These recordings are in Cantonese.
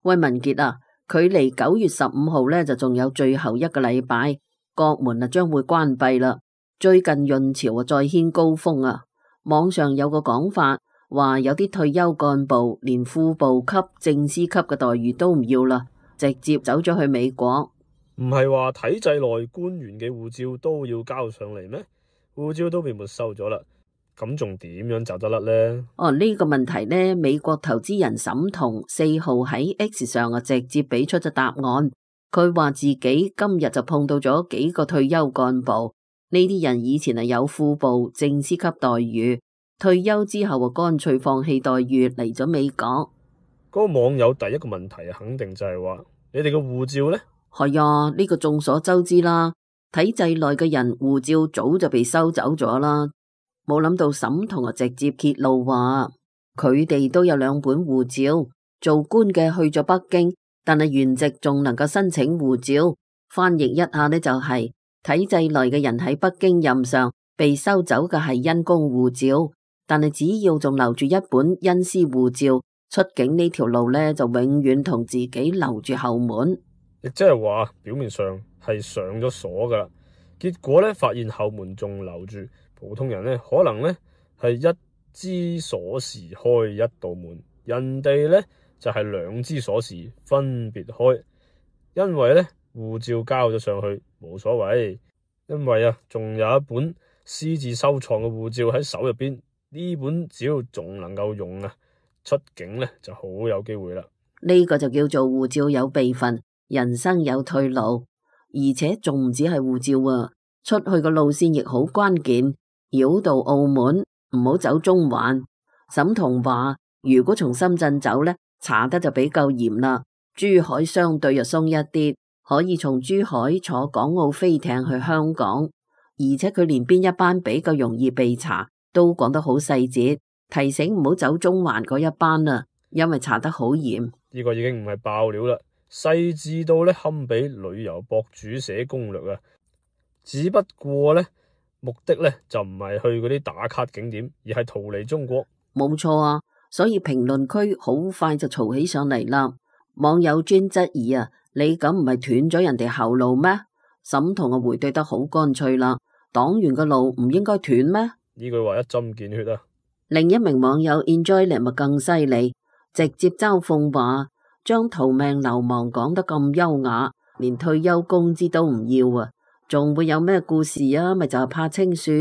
喂，文傑啊，距離9月15號呢就仲有最後一個禮拜，國門啊將會關閉啦。最近潤潮啊再掀高峰啊，網上有個講法話有啲退休幹部連副部級、正司級嘅待遇都唔要啦，直接走咗去美國。唔係話體制內官員嘅護照都要交上嚟咩？護照都被沒收咗啦。咁仲點樣走得甩呢？呢個問題呢，美國投資人沈彤4號喺 X 上啊直接俾出咗答案。佢話自己今日就碰到咗幾個退休幹部，呢啲人以前係有副部、正司級待遇，退休之後啊乾脆放棄待遇嚟咗美國。嗰個網友第一個問題肯定就係話：你哋嘅護照呢？係啊，呢個眾所周知啦，體制內嘅人護照早就被收走咗啦。冇諗到沈彤啊直接揭露話，佢哋都有2本護照，做官嘅去咗北京，但係原籍仲能夠申請護照。翻譯一下呢，就係體制內嘅人喺北京任上被收走嘅係因公護照，但係只要仲留住一本恩師護照，出境呢條路呢，就永遠同自己留住後門。亦即係話表面上係上咗鎖噶啦，結果呢，發現後門仲留住。普通人呢，可能呢係一支鎖匙開一道門，人哋呢就係2支鎖匙分別開。因為呢護照交咗上去冇所謂，因為啊仲有一本私自收藏嘅護照喺手入邊，呢本只要仲能夠用啊，出境呢就好有機會啦。呢個就叫做護照有備份，人生有退路，而且仲唔止係護照啊，出去個路線亦好關鍵。繞道澳門，唔好走中環。沈彤話如果從深圳走呢，查得就比較嚴啦。珠海相對又鬆一啲，可以從珠海坐港澳飛艇去香港，而且佢連邊一班比較容易被查都講得好細節，提醒唔好走中環嗰一班啊，因為查得好嚴。呢個已經唔係爆料啦，細緻到呢堪比旅遊博主寫攻略啊。只不過呢，目的呢就唔係去嗰啲打卡景點，而係逃離中國。冇錯啊，所以評論區好快就嘈起上嚟啦。網友專質疑啊，你咁唔係斷咗人哋後路咩？沈彤啊回對得好乾脆啦，黨員嘅路唔應該斷咩？呢句話一針見血啊！另一名網友 Enjoy 咪更犀利，直接嘲諷話將逃命流氓講得咁優雅，連退休工資都唔要啊！仲會有咩故事啊？咪就係怕清算。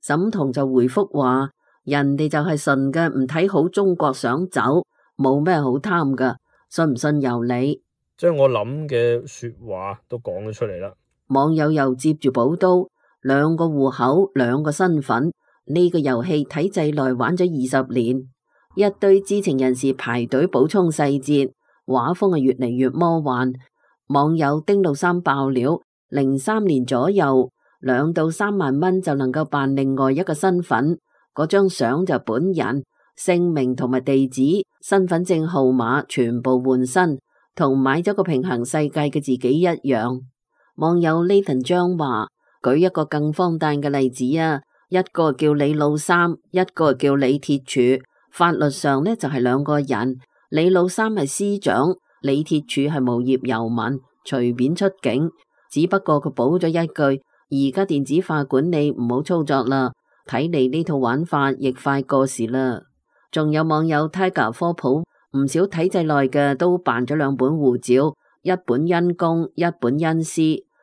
沈彤就回覆話：人哋就係純嘅唔睇好中國想走，冇咩好貪噶，信唔信由你。將我諗嘅說話都講咗出嚟啦。網友又接住補刀：2個戶口2個身份，呢個遊戲體制內玩咗20年，一堆知情人士排隊補充細節，畫風係越嚟越魔幻。網友丁老三爆料：03年左右2到3萬蚊就能夠辦另外一個身份，嗰張相就本人姓名同埋地址、身份證號碼全部換新，同買咗個平行世界嘅自己一樣。網友 Nathan 張話：舉一個更荒誕嘅例子啊，一個叫李老三，一個叫李鐵柱，法律上呢就係2個人，李老三係司長，李鐵柱係無業遊民，隨便出境。只不過佢補咗一句：而家電子化管理唔好操作啦，睇嚟呢套玩法亦快過時啦。仲有網友 Tiger 科普，唔少體制內嘅都辦咗2本護照，一本因公，一本因私。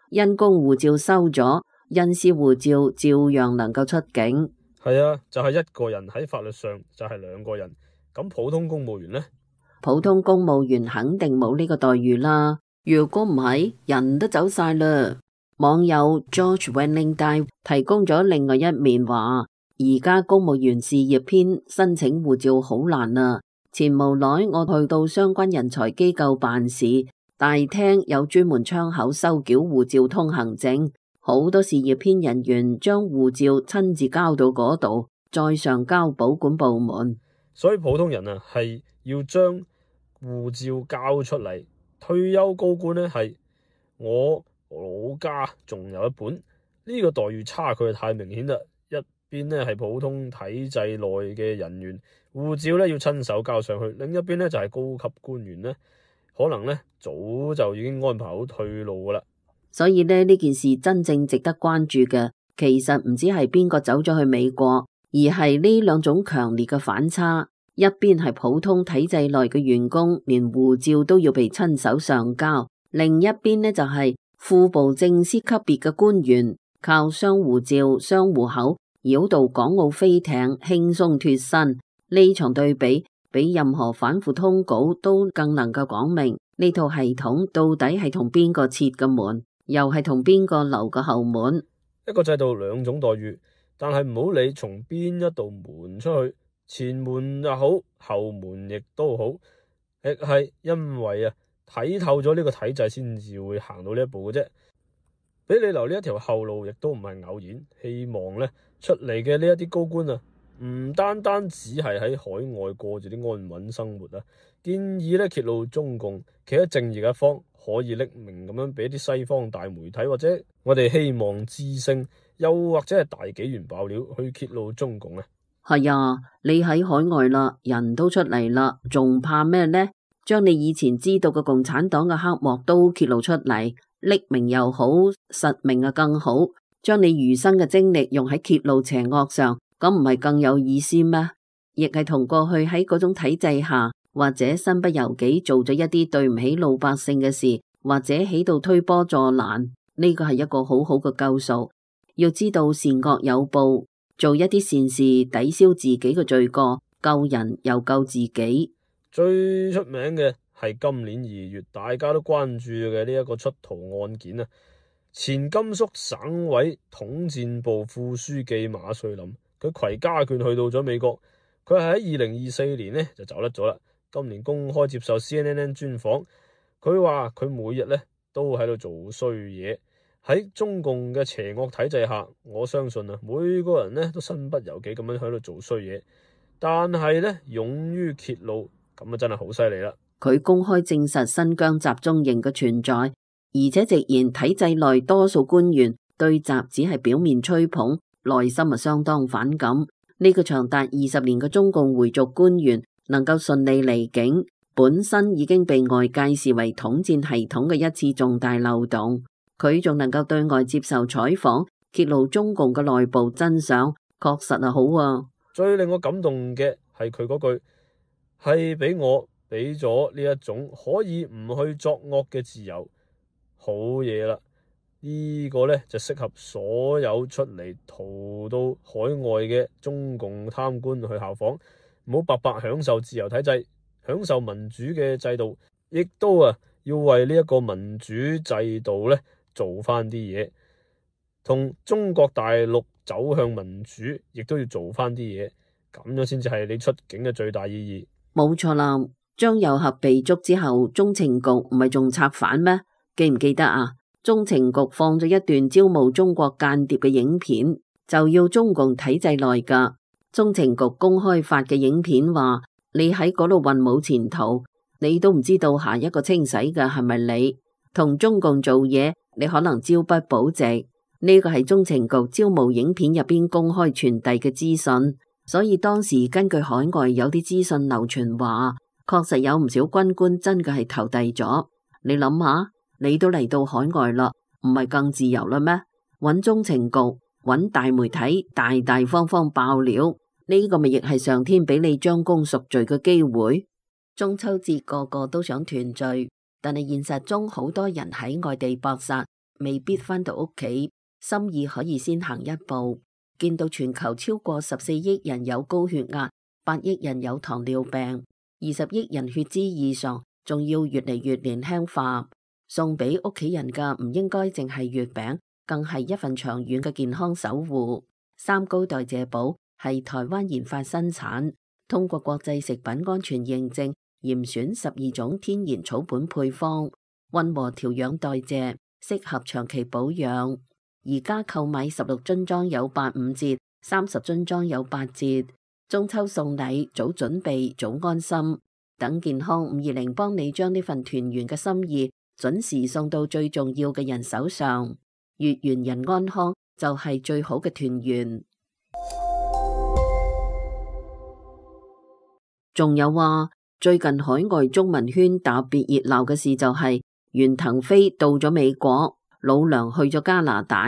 因公護照收咗，因私護照照樣能夠出境。係啊，就係1個人喺法律上就係2個人。咁普通公務員呢？普通公務員肯定冇呢個待遇啦。如果唔係，人都走晒啦。網友 George Wenling Dai 提供咗另外一面話，而家公務員事業編申請護照好難啊。前無耐我去到相關人才機構辦事，大廳有專門窗口收繳護照通行證，好多事業編人員將護照親自交到嗰度，再上交保管部門。所以普通人啊係要將護照交出嚟。退休高官呢係我老家仲有一本，呢個待遇差距太明顯啦。一邊呢係普通體制內嘅人員，護照呢要親手交上去；另一邊呢就係高級官員呢，可能呢早就已經安排好退路噶啦。所以呢件事真正值得關注嘅，其實唔止係邊個走咗去美國，而係呢兩種強烈嘅反差。一邊係普通體制內嘅員工，連護照都要被親手上交；另一邊呢就係副部正司級別嘅官員，靠雙護照、雙戶口繞道港澳飛艇，輕鬆脫身。呢場對比，比任何反腐通稿都更能夠講明呢套系統到底係同邊個設嘅門，又係同邊個留個後門。一個制度兩種待遇，但係唔好理從邊一道門出去，前門又好，後門亦都好，亦係因為睇透咗呢個體制先至會行到呢一步嘅啫。俾你留呢一條後路，亦都唔係偶然。希望呢出嚟嘅呢一啲高官唔單單只係喺海外過住啲安穩生活建議呢揭露中共企喺正義嘅一方，可以匿名咁樣俾啲西方大媒體或者我哋希望之聲，又或者係大紀元爆料去揭露中共係啊，你喺海外啦，人都出嚟啦，仲怕咩呢？將你以前知道嘅共產黨嘅黑幕都揭露出嚟，匿名又好，實名更好，將你餘生嘅精力用喺揭露邪惡上，咁唔係更有意思咩？亦係同過去喺嗰種體制下，或者身不由己做咗一啲對唔起老百姓嘅事，或者喺度推波助瀾，呢個係一個好好嘅救贖。要知道善惡有報，做一啲善事抵消自己嘅罪過，救人又救自己。最出名嘅係今年2月大家都關注嘅呢一個出逃案件前甘肅省委統戰部副書記馬瑞林，佢攜家眷去到咗美國，佢係喺2024年就走甩咗啦。今年公開接受 CNN 專訪，佢話佢每日都喺度做衰嘢。喺中共嘅邪惡體制下，我相信每個人都身不由己咁樣喺度做衰嘢，但係勇於揭露，咁真係好犀利啦。佢公開證實新疆集中營嘅存在，而且直言體制內多數官員對習只係表面吹捧，內心相當反感。呢個長達20年嘅中共回族官員能夠順利離境，本身已經被外界視為統戰系統嘅一次重大漏洞。佢仲能夠對外接受採訪，揭露中共嘅內部真相，確實係好啊。最令我感動嘅係佢嗰句，係俾我俾咗呢一種可以唔去作惡嘅自由，好嘢啦！呢個就適合所有出嚟逃到海外嘅中共貪官去效仿，唔好白白享受自由體制，享受民主嘅制度，亦都要為呢一個民主制度做翻啲嘢，同中國大陸走向民主，亦都要做翻啲嘢，咁樣先至係你出境嘅最大意義。冇錯啦，張又俠被捉之後，中情局唔係仲策反咩？記唔記得啊？中情局放咗一段招募中國間諜嘅影片，就要中共體制內噶。中情局公開發嘅影片話，你喺嗰度混冇前途，你都唔知道下一個清洗嘅係咪你？同中共做嘢，你可能朝不保夕。呢個係中情局招募影片入邊公開傳遞嘅資訊，所以當時根據海外有啲資訊流傳話，確實有唔少軍官真嘅係投遞咗。你諗下，你都嚟到海外啦，唔係更自由啦咩？揾中情局，揾大媒體，大大方方爆料，呢個咪亦係上天俾你將功贖罪嘅機會。中秋節個個都想團聚，但係現實中好多人喺外地搏殺，未必返到屋企，心意可以先行一步。見到全球超過14億人有高血壓，8億人有糖尿病，20億人血脂異常，仲要越嚟越年輕化。送俾屋企人嘅唔應該淨係月餅，更係一份長遠嘅健康守護。三高代謝寶係台灣研發生產，通過國際食品安全認證，嚴選12種天然草本配方，溫和調養代謝，適合長期保養。而家購買16樽裝有85折，30樽裝有8折。中秋送禮，早準備早安心。等健康520幫你將呢份團圓嘅心意準時送到最重要嘅人手上。月圓人安康就係最好嘅團圓。仲有話，最近海外中文圈特別熱鬧嘅事就係袁騰飛到咗美國，老梁去咗加拿大，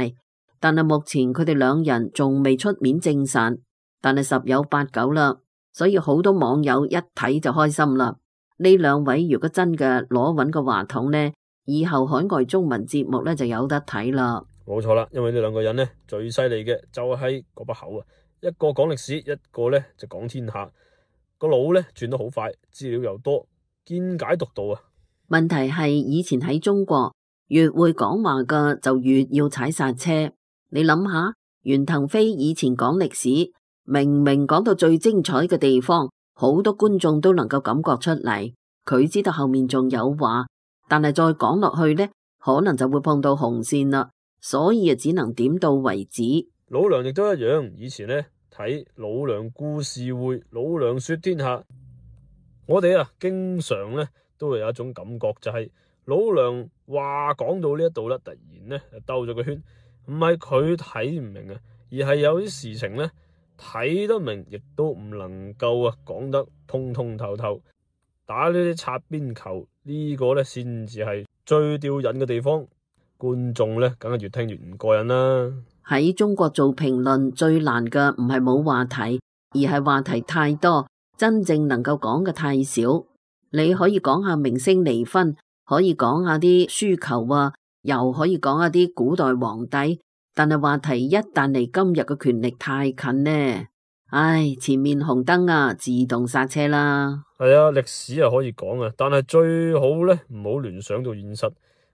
但係目前佢哋兩人仲未出面證實，但係十有八九啦，所以好多網友一睇就開心啦。呢兩位如果真嘅攞穩個話筒呢，以後海外中文節目呢就有得睇啦。冇錯啦，因為呢兩個人呢最犀利嘅就係嗰把口啊，一個講歷史，一個呢就講天下，個腦呢轉得好快，資料又多，見解獨到啊。問題係以前喺中國越會講話嘅就越要踩剎車。你諗下，袁騰飛以前講歷史，明明講到最精彩嘅地方，好多觀眾都能夠感覺出嚟，佢知道後面仲有話，但係再講落去呢，可能就會碰到紅線啦，所以啊只能點到為止。老梁亦都一樣，以前呢睇老梁故事會，老梁說天下，我哋啊經常呢都會有一種感覺，就係老梁話講到呢一度啦，突然呢兜咗個圈，唔係佢睇唔明啊，而係有啲事情呢睇得明，亦都唔能夠啊講得通通透透。打呢啲擦邊球，呢個呢先至係最吊癮嘅地方，觀眾呢梗係越聽越唔過癮啦。喺中國做評論最難嘅唔係冇話題，而係話題太多，真正能夠講嘅太少。你可以講下明星離婚，可以講下啲輸球啊，又可以講下啲古代皇帝，但係話題一旦離今日嘅權力太近呢，唉，前面紅燈啊，自動剎車啦。係啊，歷史啊可以講啊，但係最好呢唔好聯想到現實。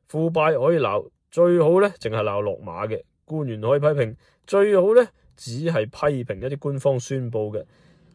腐敗可以鬧，最好呢淨係鬧落馬嘅。官員可以批評，最好呢只係批評一啲官方宣布嘅。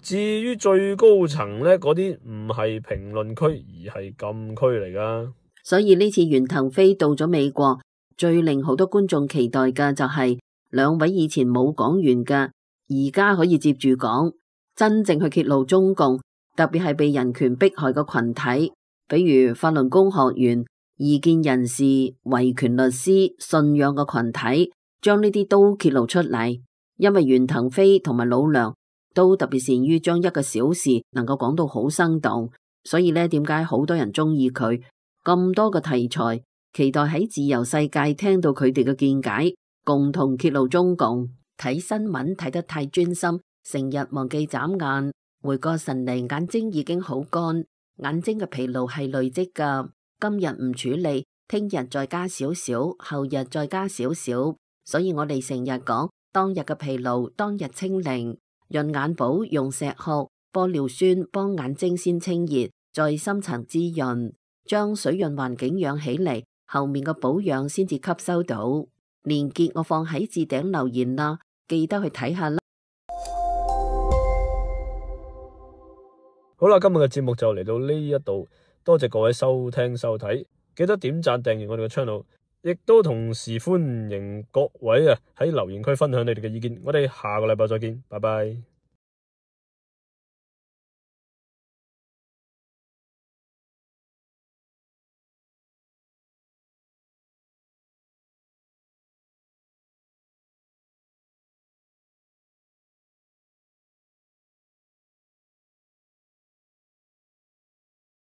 至於最高層呢，嗰啲唔係評論區，而係禁區嚟噶。所以呢次袁騰飛到咗美國，最令好多觀眾期待嘅就係兩位以前冇講完嘅，而家可以接住講，真正去揭露中共，特別係被人權迫害嘅群體，比如法輪功學員、異見人士、維權律師、信仰嘅群體，將呢啲都揭露出嚟。因為袁騰飛同埋老梁都特別善於將一個小事能夠講到好生動，所以呢，點解好多人中意佢？咁多個題材，期待喺自由世界聽到佢哋嘅見解，共同揭露中共。睇新聞睇得太專心，成日忘記眨眼，回過神嚟，眼睛已經好乾，眼睛嘅疲勞係累積噶。今日唔處理，聽日再加少少，後日再加少少，所以我哋成日講當日嘅疲勞，當日清零。潤眼寶用石殼、玻尿酸幫眼睛先清熱，再深層滋潤，將水潤環境養起嚟，後面嘅保養先至吸收到。連結我放喺置頂留言啦，記得去睇下啦。好啦，今日嘅節目就嚟到呢一度，多謝各位收聽收睇，記得點讚訂閱我哋嘅 channel，亦都同時歡迎各位喺留言區分享你哋嘅意見。我哋下個禮拜再見，拜拜。